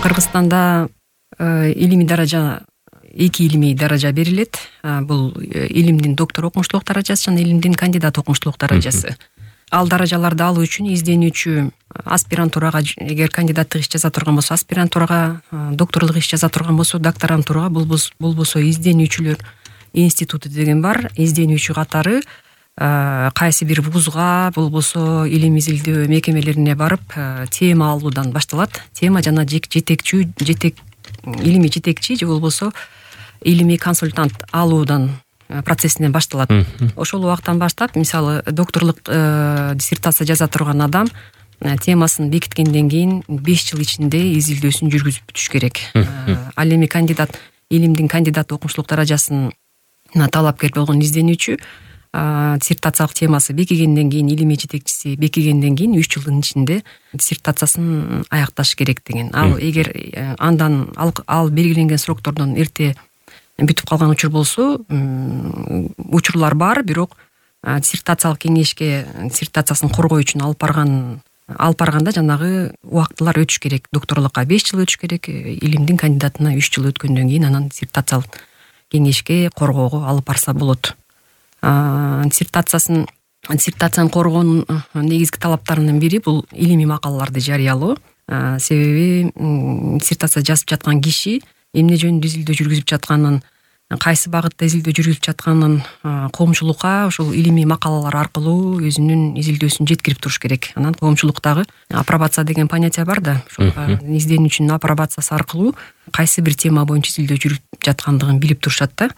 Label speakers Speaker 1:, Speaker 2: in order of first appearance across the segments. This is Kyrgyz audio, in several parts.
Speaker 1: Кыргызстанда илимий даража 2 илимий даража берилет. Бул илимдин доктор окумуштуулук даражасы жана илимдин кандидат окумуштуулук даражасы. Ал даражаларды алуу үчүн изденүүчү аспирантурага, эгер кандидаттык иш жаза турган болсо аспирантурага, докторлук иш жаза турган болсо докторантурага, болбосо изденүүчүлөр институту деген бар. Изденүүчү катары кайсы бир вузга, болбосо илим изилдөө мекемелерине барып тема алуудан башталат. Тема жана илимий жетекчи же болбосо илимий консультант алуудан процессинен башталат. Ошол убактан баштап, мисалы, докторлук диссертация жаза турган адам темасын бекиткенден кийин 5 жыл ичинде изилдөөсүн жүргүзүп бүтүш керек. Ал эми илимдин кандидат окумуштуулук даражасына талапкер болгон изденүүчү диссертациялык темасы бекигенден кийин, илимий жетекчиси бекигенден кийин 3 жылдын ичинде диссертациясын аякташ керек деген. Ал эгер андан ал белгиленген сроктордон эрте бүтүп калган учур болсо, учурлар бар, бирок диссертациялык кеңешке диссертациясын коргоо үчүн алып барганда жанагы убактылар өтүш керек. Докторлукка 5 жыл өтүш керек, илимдин кандидатына 3 жыл өткөндөн кийин анан диссертациялык кеңешке коргоого алып барса болот. Диссертацияны коргоонун негизги талаптарынын бири бул илимий макалаларды жарыялоо. Себеби диссертация жазып жаткан киши эмне жөнүндө изилдөө жүргүзүп жатканын, кайсы багытта изилдөө жүргүзүп жатканын коомчулукка ошол илимий макалалар аркылуу өзүнүн изилдөөсүн жеткирип туруш керек. Анан коомчулуктагы апробация деген понятие бар да, ошол изденүүчүнүн апробациясы аркылуу кайсы бир тема боюнча изилдөө жүрүп жаткандыгын билип турушат да.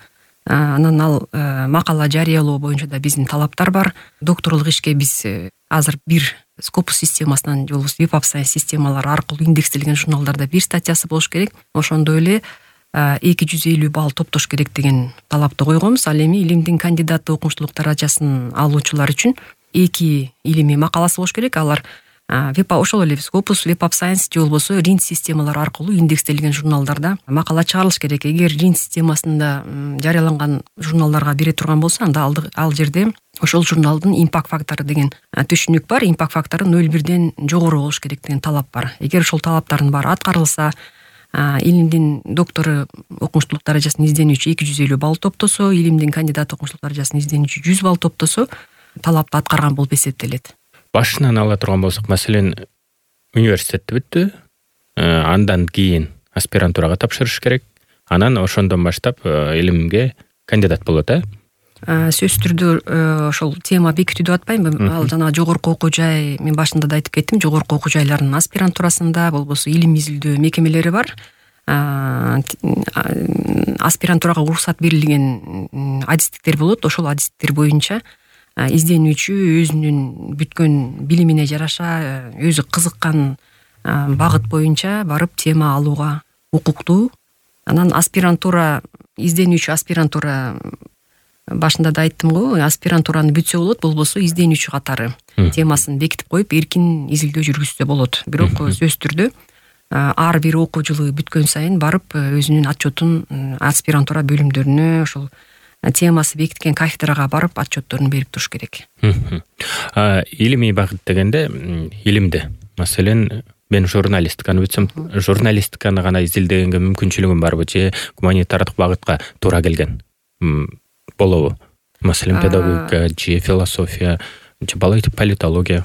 Speaker 1: Анан ал макала жарыялоо боюнча да биздин талаптар бар. Докторлук ишке биз азыр бир Scopus системасынан же болбосо Web of Science системалары аркылуу индекстелген журналдарда бир статьясы болуш керек. Ошондой эле 250 балл топтош керек деген талапты койгонбуз. Ал эми илимдин кандидат окумуштуулук даражасын алуучулар үчүн 2 илимий макаласы болуш керек. Алар ошол эле Scopus, Web of Science же болбосо RIND системалары аркылуу индекстелген журналдарда макала чыгарылыш керек. Эгер RIND системасында жарыяланган журналдарга бере турган болсо, анда ал жерде ошол журналдын импакт фактору деген түшүнүк бар. Импакт фактору 0,1ден жогору болуш керек деген талап бар. Эгер ошол талаптардын баары аткарылса, илимдин доктору окумуштуулук даражасын изденүүчү 250 балл топтосо, илимдин кандидат окумуштуулук даражасын изденүүчү 100 балл топтосо, талапты аткарган болуп эсептелет.
Speaker 2: Башынан ала турган болсок, маселен, университетти бүттү, андан кийин аспирантурага тапшырыш керек, анан ошондон баштап илимге кандидат болот,
Speaker 1: Сөзсүз түрдө ошол тема бекитүү деп атпайбы? Ал жана жогорку окуу жай, мен башында да айтып кеттим, жогорку окуу жайлардын аспирантурасында, болбосо илим изилдөө мекемелери бар. Аспирантурага уруксат берилген адистиктер болот. Ошол адистиктер боюнча изденүүчү өзүнүн бүткөн билимине жараша, өзү кызыккан багыт боюнча барып тема алууга укуктуу. Анан изденүүчү аспирантура, башында да айттым го, аспирантураны бүтсө болот, болбосо изденүүчү катары темасын бекитип коюп эркин изилдөө жүргүзсө болот. Бирок сөзсүз түрдө ар бир окуу жылы бүткөн сайын барып өзүнүн отчетун аспирантура бөлүмдөрүнө, ошол темасы бекиткен кафедрага барып отчетторун берип туруш керек.
Speaker 2: Илимий багыт дегенде илимде, маселен, мен журналистиканы бүтсөм, журналистиканы гана изилдегенге мүмкүнчүлүгүм барбы же гуманитардык багытка туура келген болобу? Маселен, педагогика же философия же политология?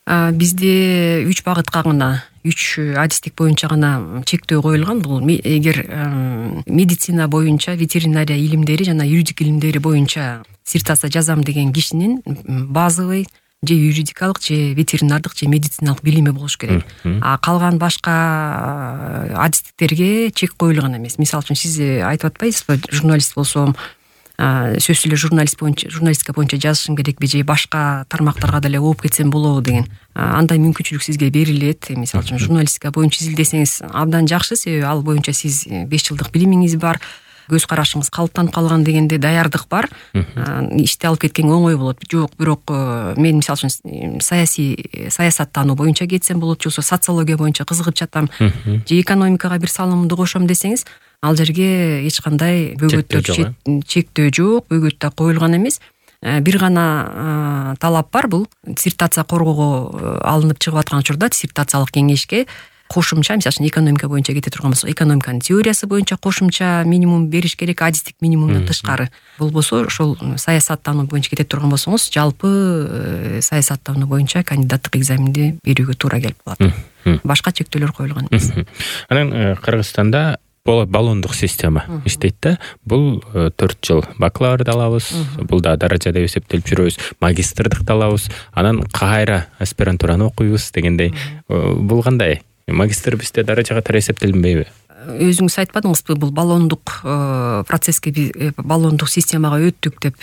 Speaker 1: Бизде 3 багытка гана, 3 адистик боюнча гана чектөө коюлган. Бул эгер медицина боюнча, ветеринария илимдери жана юридик илимдери боюнча диссертация жазам деген кишинин базовый же юридикалык, же ветеринардык, же медициналык билими болуш керек. Калган башка адистиктерге чек коюлган эмес. Мисалы үчүн, сиз айтып атпайсызбы, журналист болсом, сөзсүз эле журналистика боюнча жазышым керекпи же башка тармактарга деле ооп кетсем болобу деген. Андай мүмкүнчүлүк сизге берилет. Мисалы үчүн, журналистика боюнча изилдесеңиз абдан жакшы, себеби ал боюнча сиз 5 жылдык билимиңиз бар, көз карашыңыз калыптанып калган дегенде даярдык бар. Ишти алып кеткенге оңой болот. Жок, бирок мен мисалы үчүн саясаттануу боюнча кетсем болот, же социология боюнча кызыгып жатам, же экономикага бир салымымды кошом десеңиз, ал жерге эч кандай чектөө жок, бөгөт да коюлган эмес. Бир гана талап бар, бул диссертация коргоого алынып чыгып аткан учурда диссертациялык кеңешке кошумча, мисалы үчүн экономика боюнча кете турган болсок, экономиканын теориясы боюнча кошумча минимум бериш керек, адистик минимумдан тышкары. Болбосо ошол саясаттануу боюнча кете турган болсоңуз, жалпы саясаттануу боюнча кандидаттык экзаменди берүүгө туура келип калат. Башка чектөөлөр коюлган эмес.
Speaker 2: Анан Кыргызстанда баллондук система иштейт да. Бул 4 жыл бакалаврды алабыз, бул да даража деп эсептелип жүрөбүз, магистрдыкты алабыз, анан кайра аспирантураны окуйбуз дегендей. Бул кандай? Магистр бизде даражага тарай эсептелинбейби?
Speaker 1: Өзүңүз айтпадыңызбы, бул баллондук процесске, баллондук системага өттүк деп.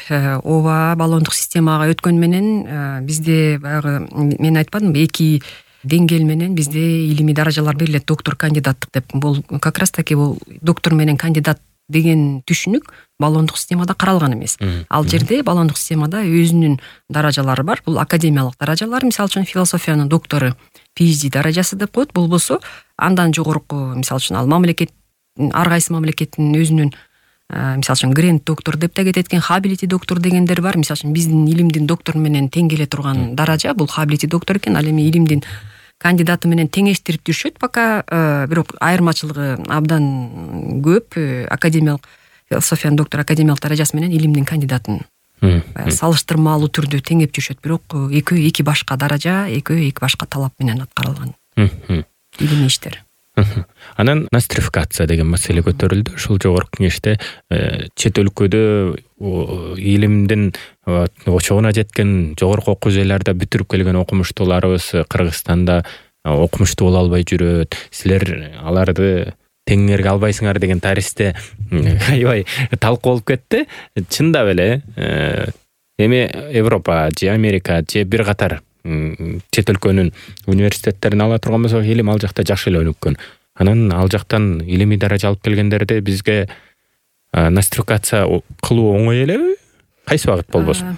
Speaker 1: Ооба, баллондук системага өткөн менен бизде баягы мен айтпадымбы, 2 деңгээл менен бизде илимий даражалар берилет, доктор, кандидаттык деп. Бул как раз таки бул доктор менен кандидат деген түшүнүк баллондук системада каралган эмес. Ал жерде баллондук системада өзүнүн даражалары бар. Бул академиялык даражалар, мисалы үчүн философиянын доктору PhD даражасы деп коет. Болбосо андан жогорку, мисалы үчүн ал мамлекет, ар кайсы мамлекеттин өзүнүн мисалы үчүн грент доктор деп да кетет экен, хабилити доктор дегендер бар. Мисалы үчүн биздин илимдин доктору менен тең келе турган даража бул хабилити доктор экен. Ал эми илимдин кандидаты менен теңештирип жүрүшөт, пока бирок айырмачылыгы абдан көп. Академиялык философиянын доктору академиялык даражасы менен илимдин кандидатын салыштырмалуу түрдө теңеп жүрүшөт, бирок экөө эки башка даража, экөө эки башка талап менен аткарылган илимий иштер.
Speaker 2: Анан нострификация деген маселе көтөрүлдү. Ушул жогорку кеңеште чет өлкөдө илимдин очогуна жеткен жогорку окуу жайларда бүтүрүп келген окумуштууларыбыз Кыргызстанда окумуштуу боло албай жүрөт. Силер аларды теңерге албайсыңар деген тарихте аябай талкуу болуп кетти. Чындап эле эми Европа же Америка же бир катар чет өлкөнүн университеттерин ала турган болсок, илим ал жакта жакшы эле өнүккөн. Анан ал жактан илимий даража алып келгендерди бизге нострификация кылуу оңой элеби? Кайсы багыт болбосун?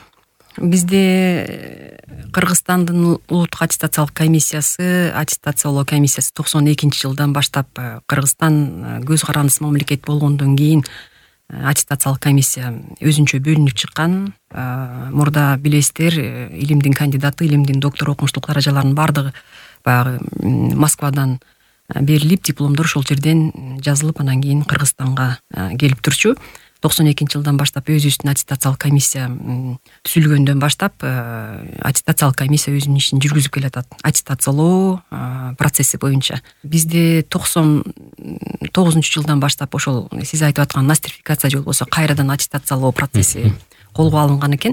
Speaker 1: Бизде Кыргызстандын улуттук аттестациялык комиссиясы, аттестациялоо комиссиясы 92-жылдан баштап Кыргызстан көз карандысыз мамлекет болгондон кийин аттестациялык комиссия өзүнчө бөлүнүп чыккан. Мурда билесиздер, илимдин кандидаты, илимдин доктору окумуштуулук даражаларынын баардыгы баягы Москвадан берилип, дипломдор ошол жерден жазылып, анан кийин Кыргызстанга келип турчу. 92-жылдан баштап өзүбүздүн аттестациялык комиссия түзүлгөндөн баштап аттестациялык комиссия өзүнүн ишин жүргүзүп келатат. Аттестациялоо процесси боюнча бизде 99-жылдан баштап ошол сиз айтып аткан нострификация же болбосо кайрадан аттестациялоо процесси колго алынган экен.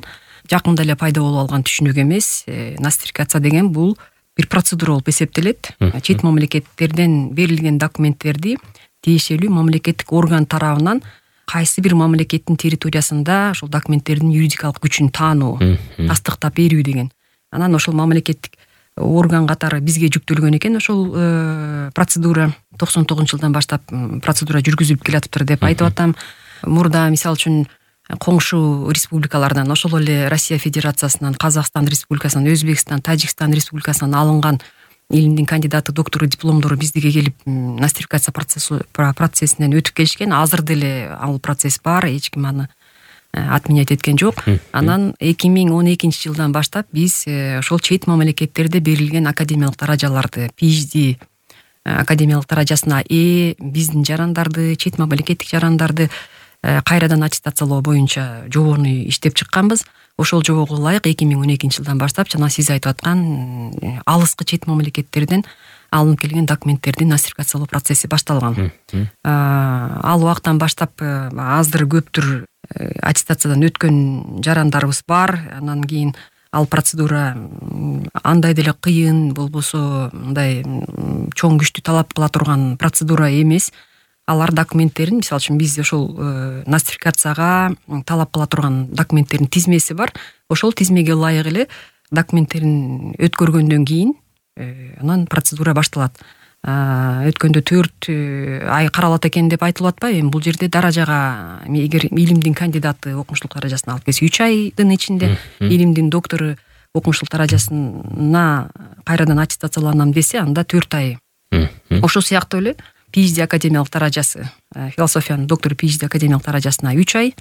Speaker 1: Жакында эле пайда болуп алган түшүнүк эмес. Нострификация деген бул бир процедура болуп эсептелет. Чет мамлекеттерден берилген документтерди тиешелүү мамлекеттик орган тарабынан кайсы бир мамлекеттин территориясында ошол документтердин юридикалык күчүн таануу, тастыктап берүү деген. Анан ошол мамлекеттик орган катары бизге жүктөлгөн экен ошол процедура. 99-жылдан баштап процедура жүргүзүлүп келатыптыр деп айтып атам. Мурда мисалы үчүн коңшу республикалардан, ошол эле Россия Федерациясынан, Казакстан Республикасынан, Өзбекстан, Тажикстан Республикасынан алынган илимдин кандидаты, доктору дипломдору биздиге келип нострификация процессинен өтүп келишкен. Азыр деле ал процесс бар, эч ким аны отменять эткен жок. Анан 2012-жылдан баштап биз ошол чет мамлекеттерде берилген академиялык даражаларды, PhD академиялык даражасына биздин жарандарды, чет мамлекеттик жарандарды кайрадан аттестациялоо боюнча жобону иштеп чыкканбыз. Ошол жобого ылайык 2012-жылдан баштап жана сиз айтып аткан алыскы чет мамлекеттерден алынып келген документтердин нострификациялоо процесси башталган. Ал убактан баштап аздыр көптүр аттестациядан өткөн жарандарыбыз бар. Анан кийин ал процедура андай деле кыйын, болбосо мындай чоң күчтү талап кыла турган процедура эмес. Алар документтерин, мисалы үчүн биз ошол нострификацияга талап кыла турган документтердин тизмеси бар. Ошол тизмеге ылайык эле документтерин өткөргөндөн кийин анан процедура башталат. Өткөндө 4 ай каралат экен деп айтылып атпайбы? Эми бул жерде даражага эгер илимдин кандидаты окумуштуулук даражасын алып келсе 3 айдын ичинде, илимдин доктору окумуштуулук даражасына кайрадан аттестацияланам десе, анда 4 ай. Ошол сыяктуу эле PhD академиялык даражасы, философиянын доктору PhD академиялык даражасына 3 ай.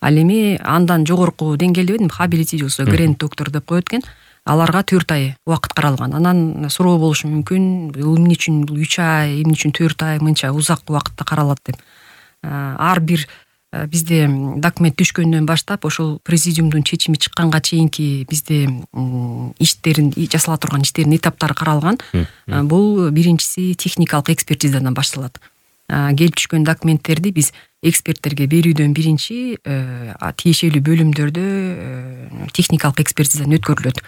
Speaker 1: Ал эми андан жогорку деңгээлде хабилити же болбосо грент доктор деп коет экен. аларга 4 ай убакыт каралган. Анан суроо болушу мүмкүн, эмне үчүн бул 3 ай, эмне үчүн 4 ай мынча узак убакытта каралат деп. Ар бир бизде документ түшкөндөн баштап ошол президиумдун чечими чыкканга чейинки бизде иштерин жасала турган иштердин этаптары каралган. Бул биринчиси техникалык экспертизадан башталат. Келип түшкөн документтерди биз эксперттерге берүүдөн биринчи тиешелүү бөлүмдөрдө техникалык экспертизадан өткөрүлөт.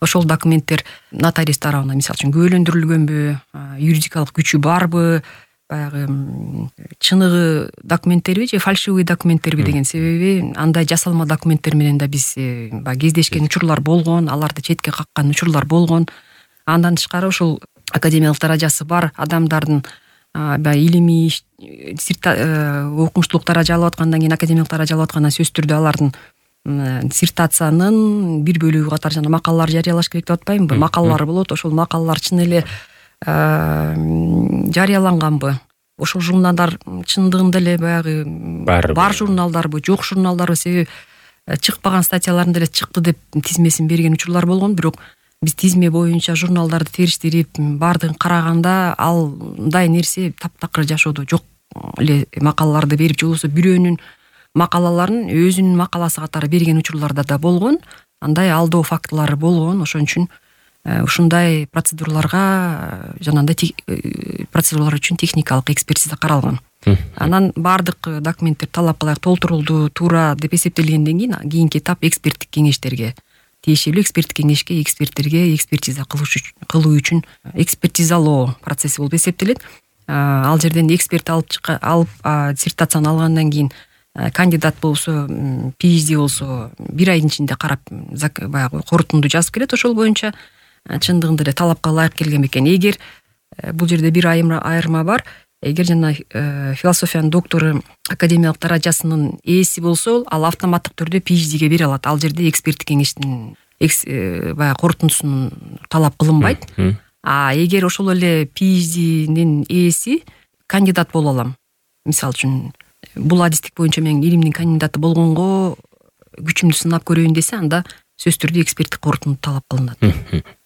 Speaker 1: Ошол документтер нотариус тарабынан мисалы үчүн күбөлөндүрүлгөнбү, юридикалык күчү барбы, баягы чыныгы документтерби же фальшивый документтерби деген. Себеби андай жасалма документтер менен да биз баягы кездешкен учурлар болгон, аларды четке каккан учурлар болгон. Андан тышкары ошол академиялык даражасы бар адамдардын баягы илимий окумуштуулук даража алып аткандан кийин академиялык даража алып аткандан сөзсүз түрдө алардын диссертациянын бир бөлүгү катары жана макалалар жарыялаш керек деп атпаймынбы? Макалалар болот. Ошол макалалар чын эле жарыяланганбы? Ошол журналдар чындыгында эле баягы бар журналдарбы, жок журналдарбы? Себеби чыкпаган статьяларын деле чыкты деп тизмесин берген учурлар болгон, бирок биз тизме боюнча журналдарды териштирип баардыгын караганда алдай нерсе таптакыр жашоодо жок эле макалаларды берип, же болбосо бирөөнүн макалаларын өзүнүн макаласы катары берген учурларда да болгон. Андай алдоо фактылары болгон. Ошон үчүн ушундай процедураларга жанагындай процедуралар үчүн техникалык экспертиза каралган. Анан баардык документтер талапка ылайык толтурулду, туура деп эсептелгенден кийинки этап эксперттик кеңештерге, тиешелүү эксперттик кеңешке эксперттерге экспертиза кылуу үчүн экспертизалоо процесси болуп эсептелет. Ал жерден эксперт алып диссертацияны алгандан кийин кандидат болсо, PhD болсо 1 айдын ичинде карап баягы корутунду жазып келет. Ошол боюнча чындыгында эле талапка ылайык келген бекен. Эгер бул жерде бир айырма бар. Эгер жана философиянын доктору академиялык даражасынын ээси болсо, ал автоматтык түрдө PhD'ге бере алат. Ал жерде эксперттик кеңештин баягы корутундусун талап кылынбайт. Эгер ошол эле PhD'нин ээси кандидат боло алам, мисалы үчүн бул адистик боюнча мен илимдин кандидаты болгонго күчүмдү сынап көрөйүн десе, анда сөзсүз түрдө эксперттик корутунду талап кылынат.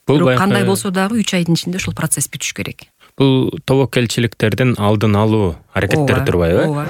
Speaker 1: Бирок кандай болсо дагы 3 айдын ичинде ушул процесс бүтүш керек.
Speaker 2: Бул тобокелчиликтердин алдын алуу аракеттери турбайбы?